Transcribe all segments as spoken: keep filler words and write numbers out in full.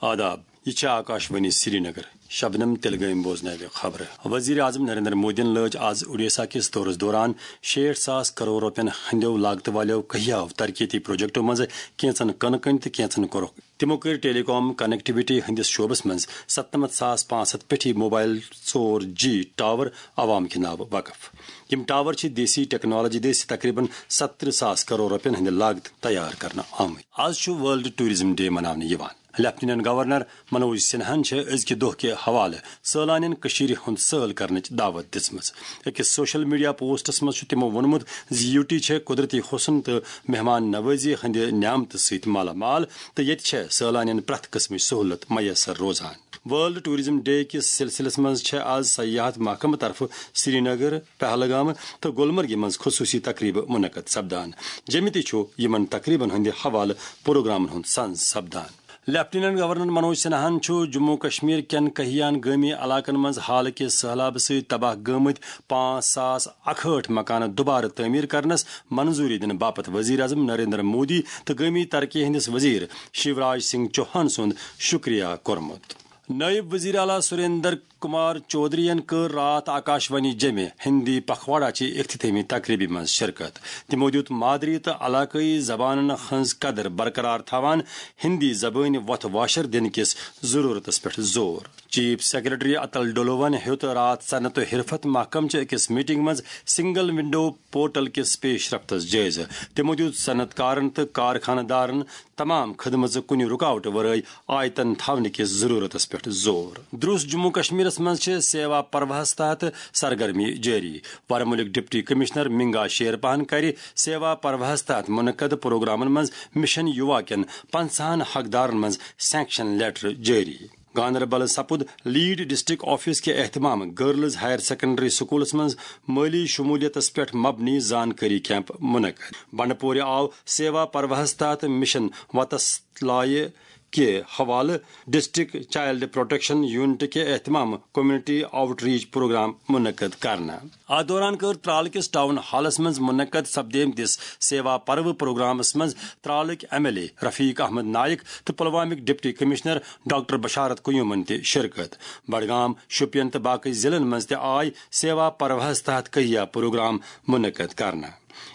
آداب، یہِ چھِ آکاشوانی سرینگر۔ شبنم تیٚلہِ گٔیِم بوزناوِ خبرٕ۔ وزیر اعظم نریندر مودیَن لٲج آز اوڈیشہ کِس دورس دوران شیٹھ ساس کرور رۄپین ہٕنٛدیو لاگتہٕ والٮ۪و کٔہیاہو ترقیتی پروجیکٹو منٛزٕ کینٛژن کٕنہٕ کٔنۍ تہٕ کینٛژن کوٚرُکھ۔ تِمو کٔرۍ ٹیلی کام کنیکٹیویٹی ہٕنٛدِس شعبس منٛز ستنمتھ ساس پانٛژھ ہتھ پیٚٹھی موبایل ژور جی ٹاور عوام کہِ ناوٕ وقف۔ یِم ٹاور چھِ دیسی ٹیکنالوجی دٔسۍ تقریباً ستترٕہ ساس کرور رۄپین ہٕنٛدِ لاگتہٕ تیار کرنہٕ آمٕتۍ۔ آز چھُ ورلڈ ٹورازم ڈے مناونہٕ یِوان۔ لیفٹیننٹ گورنر منوج سنہاہن چھےٚ أزکہِ دۄہ کہِ حوالہٕ سٲلانٮ۪ن کٔشیٖرِ ہُنٛد سٲل کرنٕچ دعوت دِژمٕژ۔ أکِس سوشل میڈیا پوسٹس منٛز چھُ تِمو ووٚنمُت زِ یوٗ ٹی چھےٚ قۄدرتی حسن تہٕ مہمان نوازی ہٕنٛدِ نعمتہٕ سۭتۍ مالا مال، تہٕ ییٚتہِ چھےٚ سٲلانٮ۪ن پرٛٮ۪تھ قٕسمٕچ سہولت میسر روزان۔ ورلڈ ٹورازم ڈے کِس سلسلس منٛز چھےٚ آز سیاحت محکمہٕ طرفہٕ سرینگر، پہلگام تہٕ گلمرگہِ منٛز خصوٗصی تقریبہٕ منعقد سپدان۔ جیٚمہِ تہِ چھُ یِمن تقریبن ہٕنٛدِ حوالہٕ پروگرامن ہُنٛد سنز سپدان۔ لیفٹیننٹ گورنر منوج سنہاہن چھُ جموں کشمیر کٮ۪ن کہیان گٲمی علاقن منٛز حالہٕ کہِ سٔہلابہٕ سۭتۍ تباہ گٲمٕتۍ پانٛژھ ساس اکہٲٹھ مکانہٕ دُبارٕ تعمیٖر کرنس منظوٗری دِنہٕ باپتھ وزیر اعظم نریندر مودی تہٕ گٲمی ترقی ہٕنٛدِس وزیر شیوراج سنگھ چوہان سُنٛد شُکریہ کوٚرمُت۔ نٲیِب وزیر اعلیٰ سریندر کمار چودھرین کٔر راتھ آکاشوانی جیٚمہِ ہندی پکھواڑا چہِ افتتاحی تقریبہِ منٛز شرکت۔ تِمو دِیُت مادری تہٕ علاقٲیی زبانن ہٕنٛز قدر برقرار تھاوان ہندی زبٲنۍ وۄتھ واشر دِنہٕ کِس ضروٗرتس پٮ۪ٹھ زور۔ چیف سیکرٹری اتل ڈولوون ہیوٚت راتھ صنعت و حرفت محکمہٕ چہِ أکِس میٹنگ منٛز سنگل ونڈو پورٹل کِس پیش رفتس جٲیزٕ۔ تِمو دِیُت صنعت کارن تہٕ کارخانہٕ دارن تمام خدمژٕ کُنہِ رُکاوٹہٕ ورٲے آیتن تھاونہٕ کِس ضروٗرتس پٮ۪ٹھ زور۔ درُس جموں کشمیرس منٛز چھِ سیوا پروہس تحت سرگرمی جٲری۔ ورمُلٕکۍ ڈپٹی کمشنر منگا شیرپاہن کرِ سیوا پروہس تحت منعقد پروگرامن منٛز مشن یووا کٮ۪ن پنژاہن حقدارن منٛز سینکشن لیٹر جٲری۔ گاندربل سپُد لیڈ ڈسٹرکٹ آفس کہِ اہتمام گرلز ہائر سیکنڈری سکولس منٛز مٲلی شمولیتس پٮ۪ٹھ مبنی زانکٲری کیمپ منعقد۔ بنڈپورِ آو سیوا پروہس تحت مشن وتس لایہِ کہِ حوالہٕ ڈسٹرکٹ چائلڈ پروٹیکشن یونٹ کہِ اہتمام کمیونٹی آؤٹ ریچ پروگرام منعقد کرنہٕ۔ اتھ دوران کٔر ترالہٕ کِس ٹاؤن ہالس منٛز منعقد سپدیمتِس سیوا پرو پروگرامس منٛز ترالٕکۍ ایم ایل اے رفیق احمد نائک تہٕ پلوامٕکۍ ڈپٹی کمشنر ڈاکٹر بشارت قیومن تہِ شرکت۔ بڈگام، شوپین تہٕ باقی ضلعن منٛز تہِ آے سیوا پروہس تحت کہیا پروگرام منعقد کرنہٕ۔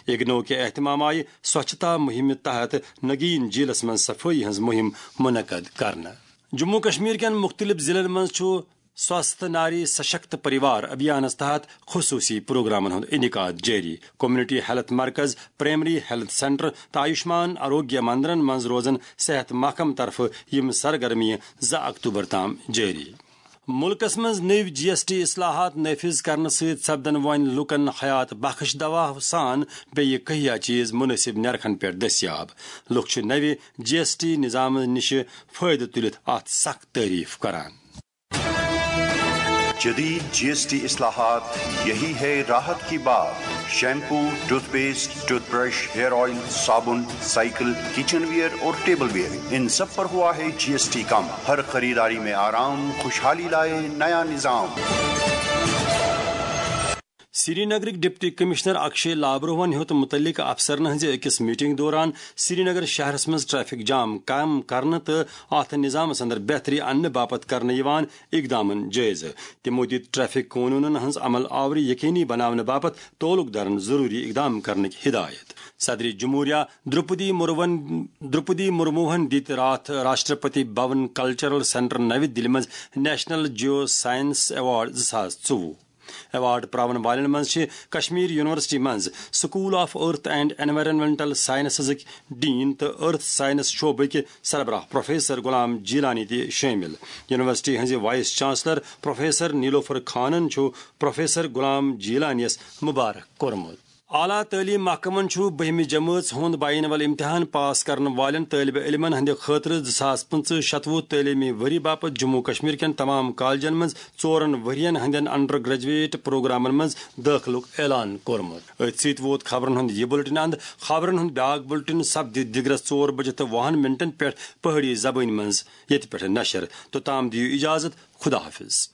اگنو کہِ اہتمام آیہِ سوچھتا مہمہِ تحت نگین جیلس منٛز صفٲیی ہٕنٛز مہم منعقد کرنہٕ۔ جموں کشمیر کٮ۪ن مُختٔلِف ضلعن منٛز چھُ سوستھ ناری سشکت پریوار ابھیانس تحت خصوصی پروگرامن ہُنٛد انعقاد جٲری۔ کمیونٹی ہیلتھ مرکز، پرائمری ہیلتھ سینٹر تہٕ آیوشمان آروگیہ مندرن منٛز روزن صحت محکمہٕ طرفہٕ یِم سرگرمیہِ زٕ اکتوبر تام جٲری۔ مُلکس منٛز نٔوۍ جی ایس ٹی اصلاحات نافذ کرنہٕ سۭتۍ سپدن وۄنۍ لوٗکن حیات بخش دوا سان بیٚیہِ کہیا چیز مناسب نرخن پٮ۪ٹھ دٔستیاب۔ لوٗکھ چھِ نوِ جی ایس ٹی نظامہٕ نِش فٲیدٕ تُلِتھ اتھ سخ تعریف کران۔ جدید جی ایس ٹی اصلاحات، یہی ہے راحت کی بات۔ Shampoo, tooth paste, tooth brush, hair oil, صابن، سائیکل، کچن ویئر اور ٹیبل ویئر، ان سب پر ہوا ہے جی ایس ٹی کم۔ ہر خریداری میں آرام، خوشحالی لائے نیا نظام۔ سرینگرٕکۍ ڈپٹی کمشنر اکشے لابروہن ہیوٚت مُتعلقہٕ افسرن ہٕنٛزِ أکِس میٹنگ دوران سرینگر شہرس منٛز ٹریفک جام کم کرنہٕ تہٕ اتھ نظامس اندر بہتری اننہٕ باپتھ کرنہٕ یِوان اقدامن جٲیزٕ۔ تِمو دِتۍ ٹریفک قونوٗنن ہٕنٛز عمل آوری یقینی بناونہٕ باپتھ تعلق دارن ضروٗری اقدام کرنٕکۍ ہدایت۔ صدر جمہوریہ درپدی مرموہن درپدی مرموہن دِتۍ راتھ راشٹرپتی بھون کلچرل سینٹر نوِ دِلہِ منٛز نیشنل جیو سائنس ایوارڈ زٕ ساس ژوٚوُہ۔ ایوارڈ پراون والٮ۪ن منٛز چھِ کشمیر یونیورسٹی منٛز سکول آف ارتھ اینڈ انوائرنمنٹل سائنسزٕکۍ ڈین تہٕ ارتھ سائنس شعبٕکۍ سربراہ پروفیسر غلام جیلانی تہِ شٲمِل۔ یونیورسٹی ہٕنٛزِ وائس چانسلر پروفیسر نیلوفر خانن چھُ پروفیسر غلام جیلانیس مبارک کوٚرمُت۔ اعلیٰ تعلیٖم محکمن چھُ بٔہمہِ جمٲژ ہُنٛد بینول امتحان پاس کرن والٮ۪ن طٲلبہِ علمن ہٕنٛدِ خٲطرٕ زٕ ساس پٕنٛژٕہ شتوُہ تعلیٖمی ؤری باپتھ جموں کشمیر کٮ۪ن تمام کالجن منٛز ژورن ؤرین ہٕنٛدٮ۪ن انڈر گریجویٹ پروگرامن منٛز دٲخلُک اعلان کوٚرمُت۔ أتھۍ سۭتۍ ووت خبرن ہُنٛد یہِ بُلٹن اند۔ خبرن ہُنٛد بیاکھ بُلٹن سپدِ دِگرس ژور بجہِ تہٕ وُہن منٹن پٮ۪ٹھ پہٲڑی زبٲنۍ منٛز ییٚتہِ پٮ۪ٹھ نشر۔ توٚتام دِیِو اجازت، خدا حافظ۔